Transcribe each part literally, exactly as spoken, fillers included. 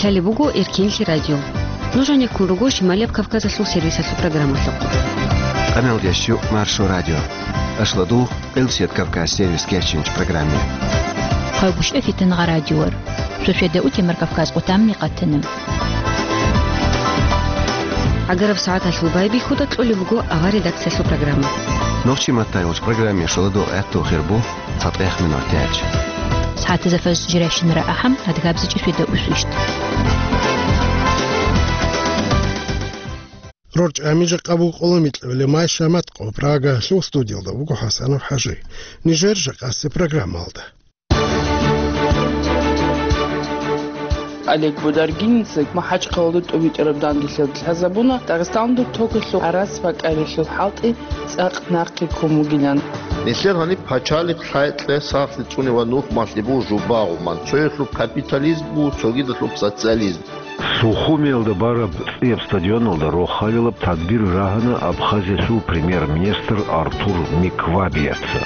Лъалеб буго Эркенлъи радио. Нуж гьанеккун руго Шималияб Кавказалъул сервисалъул программалъухъ. Къамелдеш Маршо радио. Ашладу Къилсият Кавказ сервис кечинч программе. Хъалгушев Фитнагъа радиор. Сосведа утемар Кавказ къутамни къатана. Агараб сагӀаталъул байбихьуда кьолеб буго авар редакциялъул программа. Нохчи маттайулч программе шоладу гӀатту хирбу. ЦатӀех минут тяч. СагӀатазда фаз жиращинара ахӀам, адгабзичӀе светаусвищ. РорчӀами жакъа буго къоло микьабилеб май шамат къо Прагалъул студиялда буго ХӀасанов ХӀажи. Нижер жакъасеб программалда. Олег Бударгинница МахӀачхъалада тӀубитӀараб данделъиялда лъазабуна Дагъистаналда токалъул гӀарац бакӀарилъул хӀалтӀи цӀакъ нахъе ккун бугилан. Нилъер гьаниб пачалихъ лъай-кье сахлъи цӀуневан нухмалъи буго жубагъуман, цоялъул капитализм буго, цогидалъул социализм. Сухумиялда бараб цӀияб стадионалда рохалилаб тадбир рагьана Абхазиялъул премьер-министр Артур Миквабияца.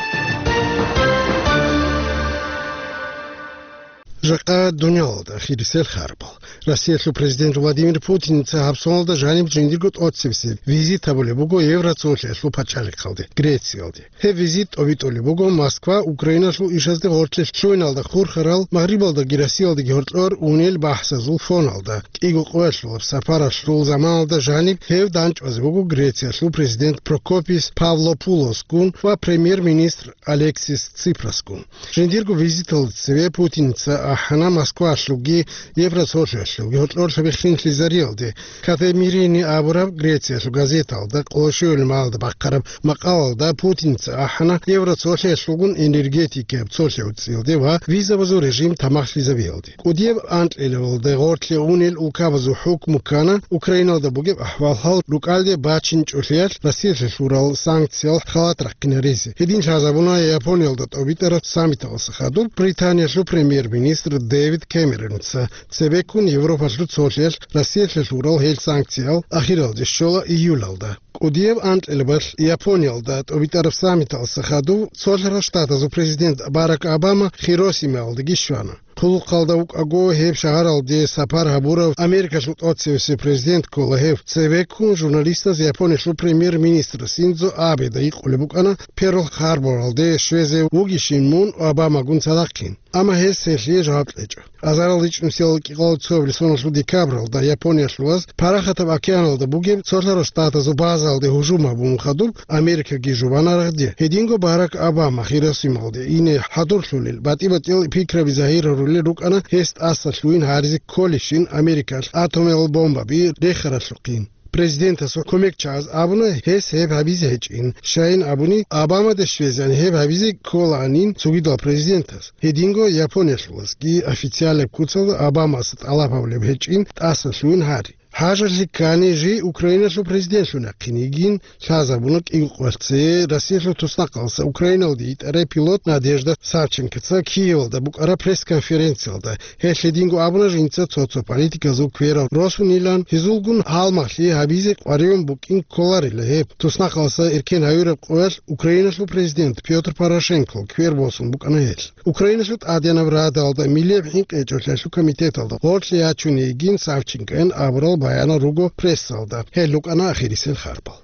Жакъа дуниялалда хирисел харбал. Россиялъул президент Владимир Путинница гьаб соналда жаниб жиндирго тӀоцебесеб визит гьабулеб буго Евроцолъиялъул пачалихъалде, Грециялде. Гьеб визит тӀобитӀулеб буго Москва Украиналъул ишазде гъорлъе лъугьиналда хурхарал, Магърибалдаги Россиялдаги гьоркьор унел бахӀсазул фоналда. КӀиго къоялъулаб сапаралъул заманалда жаниб гьев дандчӀвазе вуго Грециялъул президент Прокопис Павлопулосгун ва премьер-министр Алексис Ципрасгун. Жиндирго визиталда цеве Путинница ахӀана Москвалъулги Евроцолъиялъулги гьоркьор лъабихъин лъизариялде. Кафемирини абураб Грециялъул газеталда къоло щуялъул малалда бахъараб макъалалда Путинница ахӀана Евроцолъиялъулгун энергетикаяб цолъи гӀуцӀиялде ва визабазул режим тамахлъизабиялде. КӀудияб анкьилабалда гъорлъе унел улкабазул хӀукму ккана Украиналда бугеб ахӀвал-хӀал рукӀалде бачинчӀолъиялъ Россиялъе лъурал санкциял халат рахъинаризе. Гьедин лъазабуна Япониялда тӀобитӀараб саммиталъа хадуб Британиялъул премьер-министр Дэвид Кэмеронца. Цебеккун Европалъул цолъиялъ Россиялъе лъурал гьел санкциял ахиралде щола июлалда. КӀудияб анкьилабалъ Япониялда тӀобитӀараб саммиталъа хадуб Цолъарал Штатазул президент Барак Обама Хиросимаялдаги щвана. Хъулухъалда вукӀаго гьеб шагьаралде сапар гьабурав Америкалъул тӀоцевесев президент ккола гьев. Цебеккун журналистаз Япониялъул премьер-министр Синдзо Абеда гьикъулеб букӀана, Перл-Харборалде щвезе вугищин мун Обамагун цадахъин. Амма гьес гьелъие жаваб кьечӀо. Азарал ричӀнусиял кӀикъоялда цоябилеб соналъул декабралда Япониялъулаз Парахатаб океаналда бугеб Цолъарал Штатазул базаялде гьужум гьабун хадуб, Америкаги жубана рагъде. Гьединго Барак Обама Хиросималде ине хӀадурлъулел, батӀи-батӀиял пикраби загьир гьарулел рукӀана гьес тӀаса лъугьин гьаризе кколищин Америкалъ атомал бомбаби рехаралъухъин. Президентасул кумекчагӀаз абуна гьес гьеб гьабизе гьечӀин, щайин абуни, Обамада щвезегӀан гьеб гьабизе кколаанин цогидал президентас. Гьединго Япониялъулазги официалаб куцалда Обамаса тӀалаб гьабулеб гьечӀин тӀаса лъугьин гьари. ХӀажалъи ккани жий Украиналъул президентлъун яхъин йигин лъазабуна кӀиго къоялъ цее Россиялъул туснахъалъа Украиналде йитӀарай пилот Надежда Савченкоца Киевалда букӀараб пресс-конференциялда. Гьелъ гьединго абуна жинца цо-цо политиказул кверал росунилан, гьезулгун гьалмагълъи гьабизе къваригӀун букӀин кколарила гьеб. Туснахъалъа эркен гьавираб къоялъ Украиналъул президент Пётр Порошенко квер босун букӀана гьелъ. Украиналъул ТӀадегӀанаб Радалда миллияб хӀинкъи гьечӀолъиялъул комитеталда гъорлъе ячун йигин Савченкоян абурал баянал руго прессалда. Гьел рукӀана ахирисел харбал.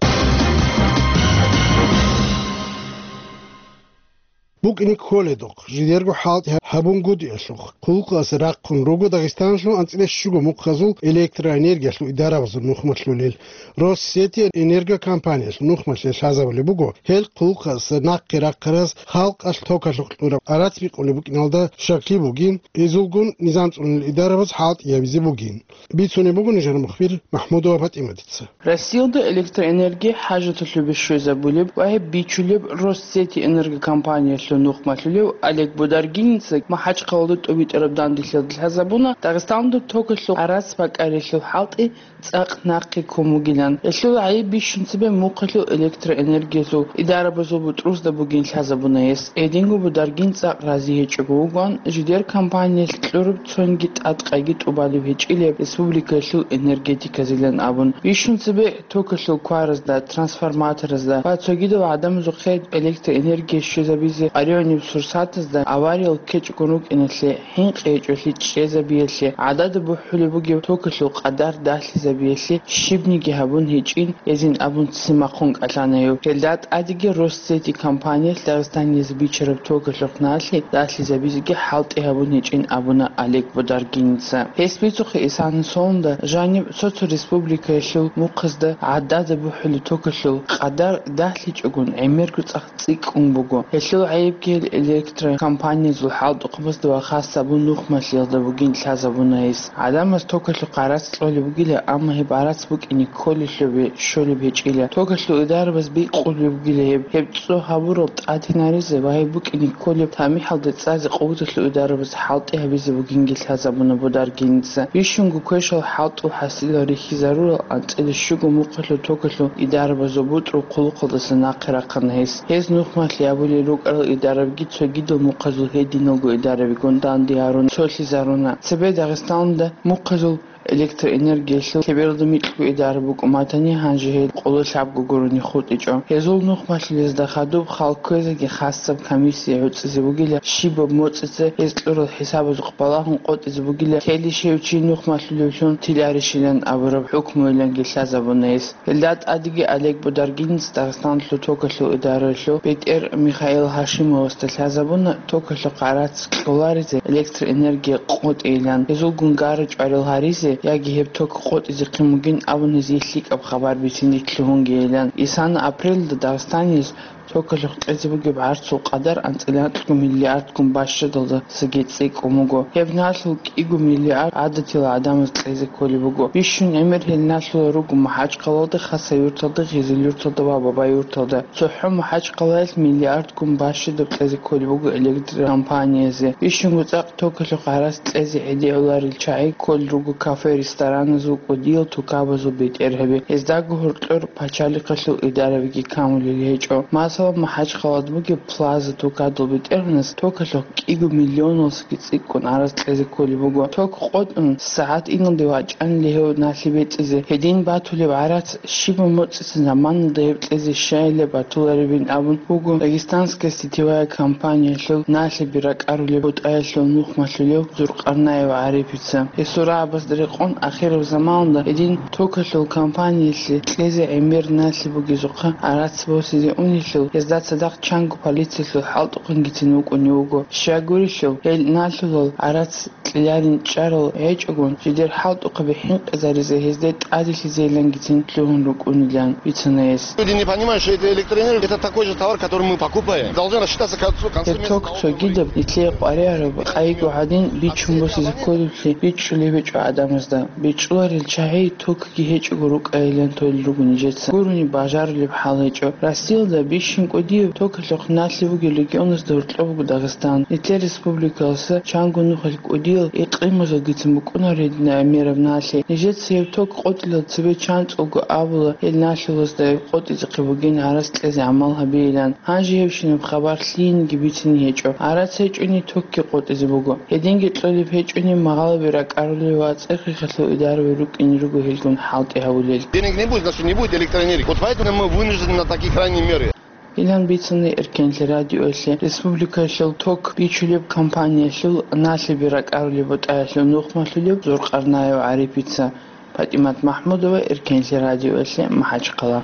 БукӀине кколедухъ, жидерго хӀалтӀи гьабунгутӀиялъухъ, хъулухъасе рахъун руго Дагъистаналъул анцӀила щуго мухъазул электроэнергиялъул идарабазул нухмалъулел. Россети энергокомпаниялъул нухмалъе лъазабулеб буго, гьел хъулухъасе нахъе рахъараз халкъалъ токалъухъ кьураб гӀарац бикъулеб букӀиналда щаклъи бугин, гьезулгун низам цӀунел идарабаз хӀалтӀи гьабизе бугин. Бицунеб буго нижер мухбир МахӀмудова ПатӀиматица. Россиялда электроэнерги хӀажаталъубе щвезабулеб ва гьеб бичулеб Россети энергокомпаниялъул нухмалъулев Олег Бударгинница МахӀачхъалада тӀубитӀараб данделъиялда лъазабуна Дагъистаналда токалъул гӀарац бакӀарилъул хӀалтӀи цӀакъ нахъе ккун бугилан. Гьелъул гӀайиб бищун цебе мухъалъул электроэнергиялъул идарабазул бутӀрузда бугин лъазабуна гьес. Гьединго Бударгин цӀакъ рази гьечӀого вугоан, жидер компаниялъ кьураб цонги тӀадкъайги тӀубалеб гьечӀилеб республикаялъул энергетиказилан абун. Бищун цебе токалъул кваразда, трансформаторазда ва цогидал гӀадамазухъе электроэнергия щвезабизе ТӀадегӀаниб сурсатазда авариял ккечӀого рукӀиналъе, хӀинкъи гьечӀолъи чӀезабиялъе, гӀадада бухӀулеб бугеб токалъул къадар далъизабиялъе щибниги гьабун гьечӀин, эзин абун ццин махъун кӀалъана гьев. Гьелда тӀадеги Россети компаниялъ Дагъистаниялъ бичараб токалъухъ налъи далъизабизеги хӀалтӀи гьабун гьечӀин абуна Олег Бодаргинца. Гьес бицухъе исана сонда жаниб цо-цо республикаялъул мухъазда гӀадада бухӀулеб токалъул къадар далъичӀогун гӀемерго цӀакъ цӀикӀкӀун буго. Гьелъул гӀайибги гьел электрокомпаниязул хӀалтӀухъабазда ва хасабун нухмалъиялда бугин лъазабуна гьес. ГӀадамаз токалъухъ гӀарац кьолеб бугила, амма гьеб гӀарац букӀине кколелъубе щолеб гьечӀила. Токалъул идарабаз бикъулеб бугила гьеб, гьеб цо гьабурал тӀадинаризе ва гьеб букӀине кколеб тамихӀалда цӀазе къуваталъул идарабаз хӀалтӀи гьабизе бугинги лъазабуна Бодаргинца. Бищунго квешал хӀалтӀул хӀасилал рихьизарурал анцӀила щуго мухъалъул токалъул идарабазул бутӀрул хъулухъалдаса нахъе рахъана гьес. Гьез нухмалъи абулел рукӀарал идарабги цогидал мухъазул гьединалго идарабигун данде гьарун цолъизаруна. Цебе Дагъистаналда мухъазул электроэнергиялъул лъебералда микьго идараб букӀун батани, гьанже гьел къоло лъабго гурони хутӀичӀо. Гьезул нухмалъулезда хадуб хал кквезеги хасаб комиссия гӀуцӀизе бугила, щибаб моцӀица гьез кьурал хӀисабазухъ балагьун къотӀизе бугила, телищ гьев чи нухмалъулевлъун тиларищилан абураб хӀукмуйиланги лъазабуна гьес. Гьелда тӀадеги Олег Бодаргинец Дагъистаналъул токалъул идараялъул бетӀер Михаил Гьашимовасда лъазабуна токалъухъ гӀарац кьоларизе, электроэнергия къотӀейилан, гьезулгун гара-чӀварал гьаризе яги гьеб ток къотӀизехъин бугин абун гьезие лъикӀаб хабар бицин рилълъунгейилан. Исана апрелалда Дагъистаниялъ токалъухъ кьезе бугеб гӀарцул къадар анцӀила анкьго миллиардгун бащадалдасаги цӀикӀкӀун буго. Гьеб налъул кӀиго миллиард гӀадатила гӀадамаз кьезе кколеб буго. Бищун гӀемер гьел налъулел руго МахӀачхъалалда, Хасавюрталда, Гъизилюрталда ва Бабаюрталда. ЦохӀо МахӀачхъалаялъ миллиардгун бащадаб кьезе кколеб буго электрокомпаниязе. Бищунго цӀакъ токалъухъ гӀарац кьезе гӀедегӀуларел чагӀи кколел руго кафе-рестораназул, кӀудиял тукабазул бетӀергьаби. Гьездаго гьоркьор пачалихъалъул идарабиги камулел гьечӀо. Масала, МахӀачхъалада бугеб Плаза тукадул бетӀергьанас токалъухъ кӀиго миллионалдасаги цӀикӀкӀун гӀарац кьезе кколеб буго. Ток къотӀун, сагӀат иналде вачӀанила гьев налъи бецӀизе. Гьедин батулеб гӀарац щибаб моцӀица заманалда гьеб кьезе щайилеб батуларебин абун буго Дагестанская сетевая компаниялъул налъиби ракӀарулеб бутӀаялъул нухмалъулев Зуркъарнаев ГӀарипица. Гьесул рагӀабазда рекъон, ахираб заманалда гьедин токалъул компаниялъе кьезе гӀемер налъи бугезухъа гӀарац босизе унелъул, гьезда цадахъ чанго полициялъул хӀалтӀухъангицин вукӀунев вуго. Щайгурелъул, гьел налъулал гӀарац кьеларин чӀарал гьечӀогун, жидер хӀалтӀухъаби хӀинкъизаризе гьезде тӀаделъизейилангицин лъугьун рукӀунилан бицана гьес. Люди не понимают, что это электроэнергия, это такой же товар, который мы покупаем. Должны рассчитаться к концу, к концу месяца. Гьеб ток цогидаб, нилъее къваригӀараб къайго гьадин бичун босизе кколеблъи бичӀчӀулеб гьечӀо гӀадамазда. БичӀчӀуларел чагӀи токги гьечӀого рукӀайилан толел руго нижеца. Гурони бажарулеб хӀал гьечӀо. Россиялда бищун кӀудияб токалъухъ налъи бугел регионазда гьоркьоб буго Дагъистан. Нилъер республикалъа чанго нухалъ кӀудиял икъимазулгицин букӀунарин гӀемераб налъи. Нижеца гьеб ток къотӀилал цебе чанцӀулго абула, гьел налъулазда гьеб къотӀизехъе бугин гӀарац кьезе гӀамал гьабейилан. Гьанже гьебщинаб хабар лъиениги бицине гьечӀо. ГӀарац гьечӀони токги къотӀизе буго. Гьединги кьолеб гьечӀони, магъалаби ракӀарулел ва цӀехихъалъул идараби рукӀине руго гьелгун хӀалтӀи гьабулел. Денег не будет, значит, не будет электроэнергии. Вот поэтому мы вынуждены на такие крайние меры. Илан бицани Эркенлъи радиоялъе республикаялъул ток бичулеб компаниялъул налъиби ракӀарулеб бутӀаялъул нухмалъулев Зуркъарнаев ГӀарипица. ПатӀимат МахӀмудова, Эркенлъи радиоялъе, МахӀачхъала.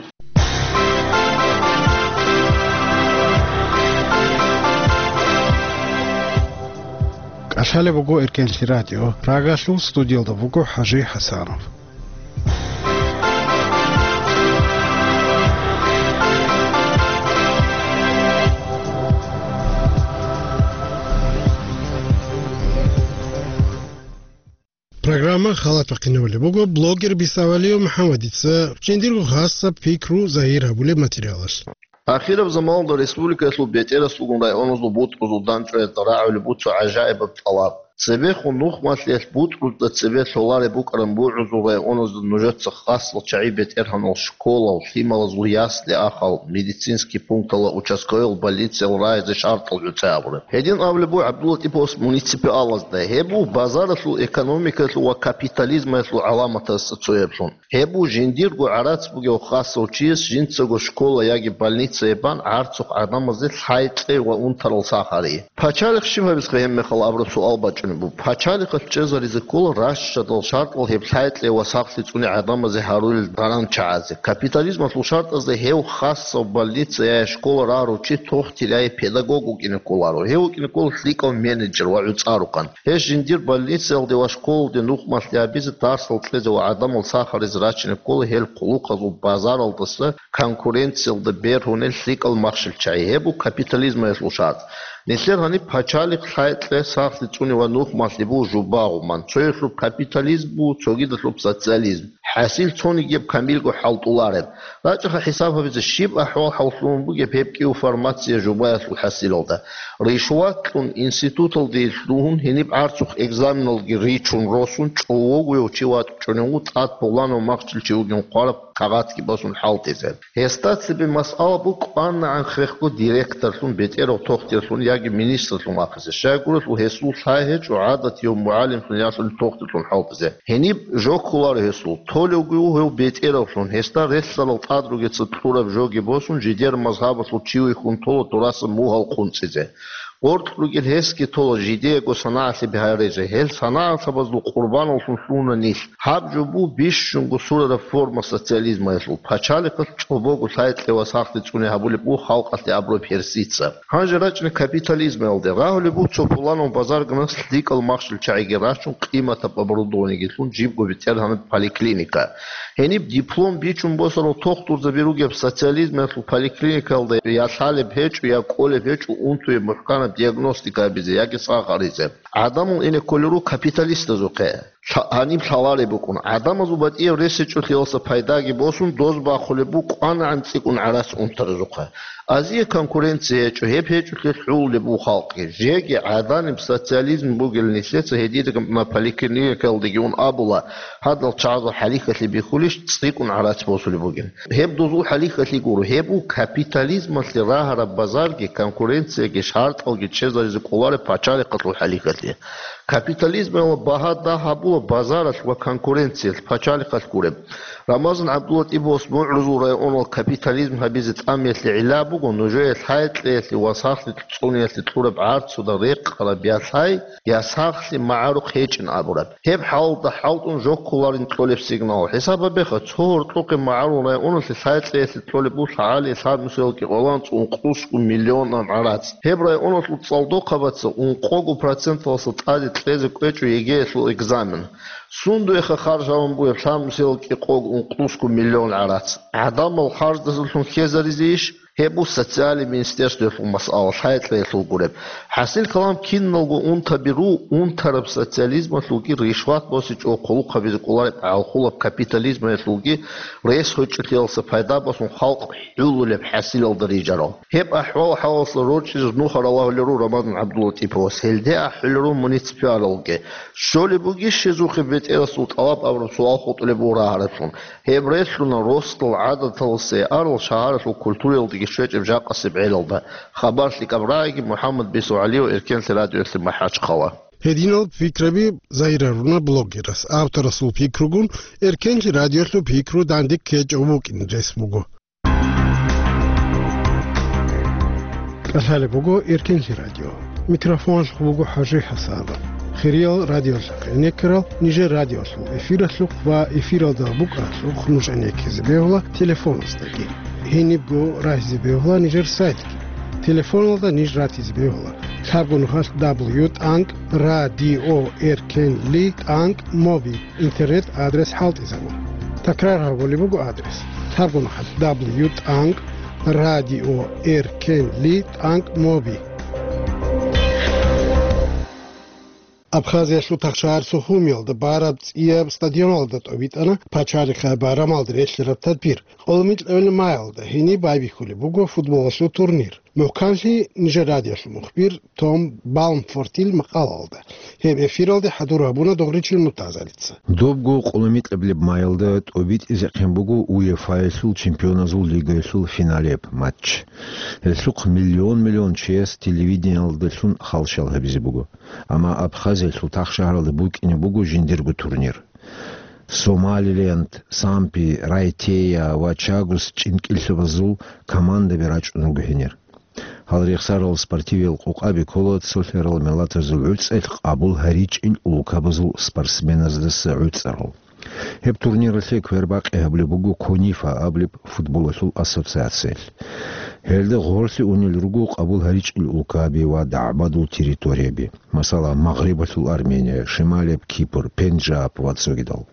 КӀалъалеб буго Эркенлъи радио. Прагалъул студиялда буго ХӀажи ХӀасанов. Программа халат бахъинабулеб буго блогер Бисавалиев МухӀаммадица жиндирго хасаб пикру загьир гьабулеб материалалъ. Ахираб заманалда республикаялъул бетӀерасулгун районазул бутӀрузул дандчӀваязда рагӀулеб буго гӀажаибаб тӀалаб. Цебехун нухмалъиялъ бутӀрузда цебе лъолареб букӀараб бугӀузул районазда нужеца хасал чагӀи бетӀергьанал школал, лъималазул ясли-ахал, медицинский пунктал ва участковыйал больнициял рагӀизе шартӀал гӀуцӀи абураб. Гьедин абулеб буго ГӀабдуллатӀиповас муниципалазда, гьеб буго базаралъул экономикаялъул ва капитализмаялъул гӀаламатазда цояблъун. Гьеб буго жиндирго гӀарац бугев хасав чияс жинцаго школа яги больница гьеб бан гӀарцухъ гӀадамазде лъай-кьей ва унтарал сахари. Пачалихъ щиб гьабизехъе гьеб мехалъ абураб суал бачӀунеб буго. Пачалихъалъ чӀезаризе ккола ращадал шартӀал гьеб лъай-кьей ва сахлъи цӀуне гӀадамазе гьарулел даран чагӀазе. Капитализмалъул шартӀазда гьев хасав больница я школа рагьарав чи тохтилай педагог вукӀине кколаро. Гьев вукӀине ккола лъикӀав менеджер ва гӀуцӀарухъан. Гьес жиндир больницаялде ва школалде нухмалъи гьабизе, дарсал кьезе ва гӀадамал сахаризе рачине ккола гьел хъулухъазул базаралдаса конкуренциялда бергьунел лъикӀал махщел чагӀи. Гьеб буго капитализмаялъул шартӀ. Нилъер гьаниб пачалихъ лъай-кьей сахлъи цӀуне ва нухмалъи буго жубагъуман. Цоялъуб капитализм буго, цогидалъуб социализм. ХӀасил цонигияб камилго хӀалтӀулареб. РачӀаха хӀисаб гьабизе, щиб ахӀвал-хӀал лъугьун бугеб гьеб кӀиго формация жубаялъул хӀасилалда. Ришват кьун, институталде лъугьун, гьениб гӀарцухъ экзаменалги ричун росун, чӀовогояв чи вачӀунев вуго тӀад пуланав махщел чи вугин хъвараб кагъатги босун хӀалтӀизе. Гьесда цебе масъала буго кӀванагӀан хехго директорлъун, бетӀерав тохтирлъун яги министрлъун вахъизе. Щайгурелъул гьесул лъай гьечӀо гӀадатияв мугӀалимлъун яги тохтирлъун хӀалтӀизе. Гьениб жо кколаро гьесул, толевги вуго гьев бетӀеравлъун, гьесда релълъарал тӀад ругеца кьураб жоги босун, жидер мазгьабалъул чи вихьун тола дураса мугьал къунцӀизе. Гъоркь ругел гьесги тола жидеего санагӀалъи бигьарезе, гьел санагӀалъабазул къурбаналлъун лъугьуна нилъ. Гьаб жо буго бищунго сурараб форма социализмаялъул, пачалихъалъ чӀобого лъай-кьей ва сахлъи цӀуне гьабулеб буго халкъалъе абураб гьерсица. Гьанже рачӀине капитализмаялде. Рагьулеб буго цо пуланав базарганас лъикӀал махщел чагӀиги рачун, къиматаб оборудованиеги лъун, жибго бетӀергьанаб поликлиника. Гьениб диплом бичун босарал тохтурзаби ругеб социализмаялъул поликлиникаялда я лъалеб гьечӀо, я кӀолеб гьечӀо унтуе мухӀканаб диагностика гьабизе яги сахаризе. ГӀадамал ине кколел руго капиталистазухъе. Лъа-, гьаниб лъалареб букӀун. ГӀадамазул батӀияб рес гьечӀолъиялса пайдаги босун, доз бахъулеб буго кӀванагӀан цӀикӀкӀун гӀарац унтаразухъа. Азие конкуренция гьечӀо, гьеб гьечӀолъиялъ хӀулулеб буго халкъги. Жеги гӀаданиб социализм бугел нилъеца гьединаб поликлиникаялдеги ун абула, гьадал чагӀазул хӀалихьалъи бихьулищ цӀикӀкӀун гӀарац босулеб бугин. Гьеб дозул хӀалихьалъи гуро, гьеб буго капитализмалъе рагьараб базарги, конкуренцияги, шартӀалги чӀезаризе кӀолареб пачалихъалъул хӀалихьалъи. Капитализмалъ багьа дагь гьабула базаралъ ва конкуренциялъ, пачалихъалъ гуреб. Рамазан ГӀабдуллатӀиповас МугӀрузул районал капитализм гьабизе тӀамиялъе гӀилла буго нужее лъай-кьеялъе ва сахлъи цӀуниялъе кьураб гӀарцуда рекъараб я лъай, я сахлъи магӀарухъ гьечӀин абураб. Гьеб хӀалалда хӀалтӀун жо кколарин кьолеб сигнал. ХӀисаб гьабеха, цо гьоркьохъеб магӀарул районалъе лъай-кьеялъе кьолеб буго лъагӀалие лъаб нусиялда кӀикъоялда ункъусго миллионан гӀарац. Гьеб районалъул цӀалдохъабаца ункъого проценталъа тӀаде кьезе кӀвечӀо ЕГЭялъул экзамен. Сундуеха харж гьабун бугеб лъаб нусиялда кӀикъого ункъусго миллион гӀарац? ГӀадамал харждасалъун хьезаризейищ? Гьеб буго социальный министерствоялъул масъала, лъай-кьеялъул гуреб. ХӀасил калам, киналго унтаби руго, унтараб социализмалъулги ришват босичӀого хъулухъ гьабизе кӀолареб гӀалхулаб капитализмаялъулги рес гьечӀолъиялса пайда босун халкъ хӀулулеб хӀасилалда рижарал. Гьеб ахӀвал-хӀалалъа рорчӀизе нухал рагьулел руго Рамазан ГӀабдуллатӀиповас, гьелде ахӀулел руго муниципалалги. Щолеб бугищ гьезухъе бетӀерасул тӀалаб абураб суал хутӀулеб буго рагьараблъун. Гьеб релълъуна росдал гӀадаталасе арал шагьаралъул культураялдеги щвечӀеб жакъасеб гӀелалда. Хабар лъикӀаб рагӀиги, МухӀаммад Бисугьалиев, Эркенлъи радиоялъе МахӀачхъала. Гьединал пикраби загьирлъуна блогерас. Авторасул пикругун Эркенлъи радиоялъул пикру данде ккечӀев вукӀин рес буго. КӀалъалеб буго Эркенлъи радио. Микрофоналъухъ буго ХӀажи ХӀасан. Хириял радиолъухъ гӀенеккарал нижер радиолъул эфиралъухъ ва эфиралда букӀаралъухъ нуж гӀенеккизе бегьула телефоназдаги. Гьенибго рагьизе бегьула нижер сайтги. Телефоналда ниж ратизе бегьула: лъабго нухалъ дабл ю тӀанкӀ радио эркенли тӀанкӀ моби. Интернет-адрес хӀалтӀизабун. Такрар гьабулеб буго адрес: лъабго нухалъ дабл ю тӀанкӀ радио эркенли тӀанкӀ моби. Абхазиялъул Тахшагьар Сухумиялда бараб цӀияб стадионалда тӀобитӀана пачалихъе байрамалда релълъараб тадбир. Къоло микьабилеб майалда гьениб байбихьулеб буго футболалъул турнир. МухӀканлъи нижер радиолъул мухбир Том Балмфортил макъалаялда. Гьеб эфиралде хӀадур гьабуна Догъричил Муртазалица. Добго къулумикьаблеб майалда тӀобитӀизехъин буго УЕФА-ялъул чемпионазул лигаялъул финалияб матч. Гьелъухъ миллион-миллион чияс телевидениялдалъун халщал гьабизе буго. Амма Абхазиялъул тахшагьаралда букӀине буго жиндирго турнир. Сомалиленд, Сампи, Райтея ва Чагус чӀинкӀиллъабазул командаби рачӀун руго гьенир. Гьал рехсарал спортивиял къокъаби ккола цолъарал миллатазул гӀуцӀелъ къабул гьаричӀел улкабазул спортсменаздаса гӀуцӀарал. Гьеб турниралъе квербакъи гьабулеб буго КОНИФА абулеб футболалъул ассоциациялъ. Гьелда гъорлъе унел руго къабул гьаричӀел улкаби ва дагӀбадул территорияби, масала, Магърибалъул Армения, Шималияб Кипр, Пенджаб ва цогидал.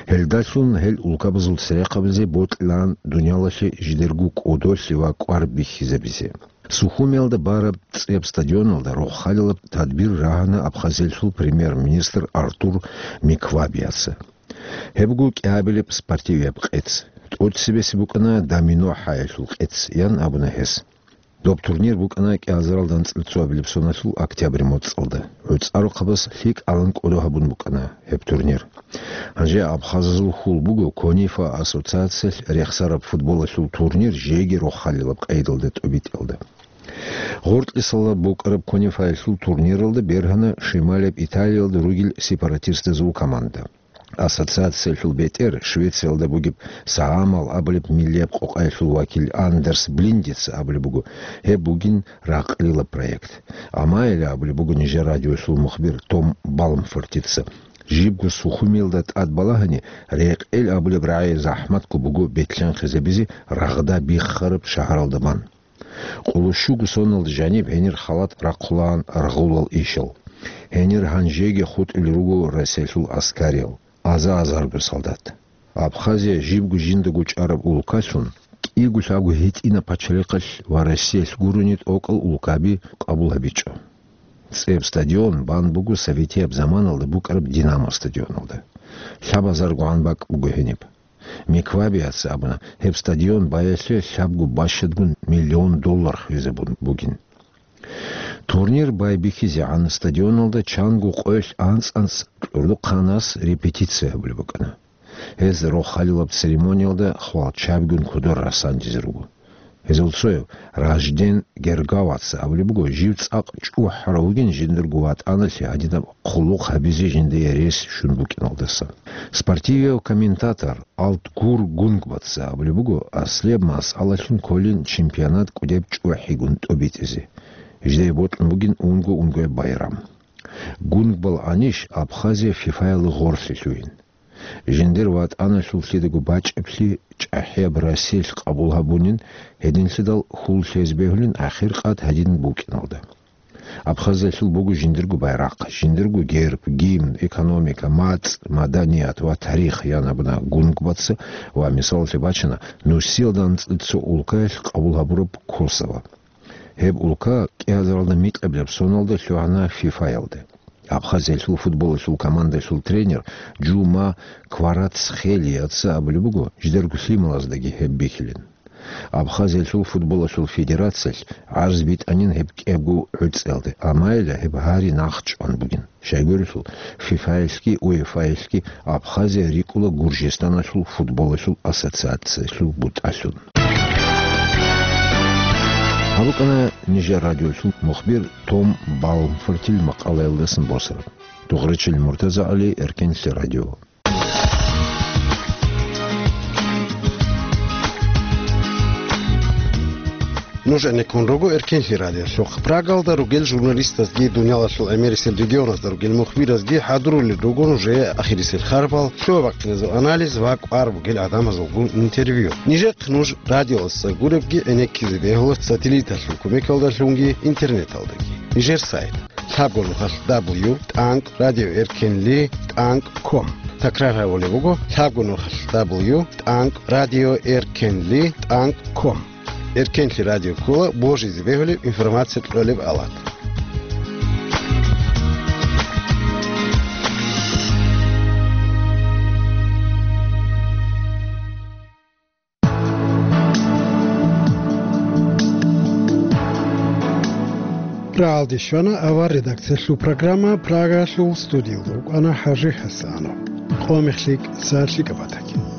Гьелдалъун гьел улкабазул церехъабазе бокьилаан дуниялалъе жидерго кӀодолъи ва кӀвар бихьизабизе. Сухумиялда бараб цӀеб стадионалда рохалилаб тадбир рагьана Абхазиялъул премьер-министр Артур Миквабияца. Гьеб буго кӀиабилеб спортивияб къец. ТӀоцебесеб букӀана домино хӀаялъул къец, ян абуна гьес. Доб турнир букӀана кӀиазаралда анцӀила цоабилеб соналъул октябрь моцӀалда. ГӀуцӀарухъабаз лъикӀалан кӀодо гьабун букӀана гьеб турнир. Гьанже абхазазул хьул буго КОНИФА ассоциациялъ рехсараб футболалъул турнир жеги рохалилаб къайдалда тӀобитӀиялда. Гъоркьисалда букӀараб КОНИФАялъул турниралда бергьана Шималияб Италиялда ругел сепаратистазул команда. Ассоциациялъул бетӀер Швециялда бугеб Саамал абулеб миллияб къокъаялъул вакил Андерс Блиндица абулеб буго, гьеб бугин ракълила проект. Амайила абулеб буго нижер радиоялъул мухбир Том Балмфортица. Жибго Сухумиялда тӀад балагьани, рекъел абулеб рагӀи захӀматго буго бетлъанхъизабизе рагъда биххараб шагьаралда бан. Къоло щуго соналда жаниб гьенир халат рахъулаан рагъулал ишал. Гьенир гьанжеги хутӀулел руго Россиялъул аскариял, аза-азарго солдат. Абхазия жибго жиндаго чӀараб улкалъун, кӀиго-лъабго гьитӀинаб пачалихъалъ ва Россиялъ гурони тӀокӀал улкаби къабул гьабичӀо. ЦӀеб стадион бан буго советияб заманалда букӀараб Динамо стадионалда. ЛъабазаргогӀан бакӀ буго гьениб. Миквабияца абуна, гьеб стадион баялъе лъабго бащадгун миллион доллар хвезабун бугин. Турнир байбихьизегӀан стадионалда чанго къоялъ анцӀ-анцӀ кьурдухъанас репетиция гьабулеб букӀана. Гьез рохалилаб церемониялда хвалчабигун кодор расандизе руго. Гьезул цояв Ражден Гергаваца абулеб буго, жив цӀакъ чӀухӀарав вугин жиндирго ватӀаналъе гьадинаб хъулухъ гьабизе жиндие рес щун букӀиналдаса. Спортивияв комментатор Алтгур Гунгбаца абулеб буго, аслияб масъалалъун кколин чемпионат кӀудеб чӀухӀигун тӀобитӀизе. Жидее бокьун бугин унго-унгояб байрам. Гунгбал анищ Абхазия ФИФАялда гъорлъе лъугьин. Жиндир ватӀаналъуллъидаго бачӀиблъи чӀахӀияб Россиялъ къабул гьабунин, гьединлъидал хьул лъезе бегьулин ахиркъад гьадин букӀиналда. Абхазиялъул буго жиндирго байрахъ, жиндирго герб, гимн, экономика, мацӀ, маданият ва тарих, ян абуна Гунгбаца ва мисалалъе бачана нусиялда анцӀила цо улкаялъ къабул гьабураб Косово. Гьеб улка кӀиазаралда микьабилеб соналда лъугьана ФИФАялде. Абхазиялъул футболалъул командалъул тренер Жума Кварацхелияца абулеб буго, жидерго лъималаздаги гьеб бихьилин. Абхазиялъул футболалъул федерациялъ гӀарз битӀанин гьеб кӀиябго гӀуцӀиялде, амайила гьеб гьари нахъчӀван бугин. Щайгурелъул, ФИФАялъги УЕФАялъги Абхазия рикӀкӀула Гуржистаналъул футболалъул ассоциациялъул бутӀалъун. Гьаб букӀана нижер радиолъул мухбир Том Балмфортил макъалаялдасан босараб. Догъричил МуртазагӀали, Эркенлъи радио. Нуж гӀенеккун руго Эркенлъи радиолъухъ. Прагалда ругел журналистазги, дуниялалъул гӀемерисел регионазда ругел мухбиразги хӀадурулел руго нужее ахирисел харпал, лъугьа-бахъиназул анализ ва кӀвар бугел гӀадамазулгун интервью. Нижехъ нуж радиоялдаса гуребги гӀенеккизе бегьула сателлиталъул кумекалдалъунги интернеталдаги. Нижер сайт: лъабго нухалъ дабл ю тӀанкӀ радиоэркенли тӀанкӀ ком. Такрар гьабулеб буго: лъабго нухалъ дабл ю тӀанкӀ радиоэркенли тӀанкӀ ком. Эркенлъи радио ккола божизе бегьулеб информация кьолеб алат. Рагьалде щвана авар редакциялъул программа. Прагалъул студиялда вукӀана ХӀажи ХӀасанов. Къо мехлъи кӀиса лъикӀаб батаги.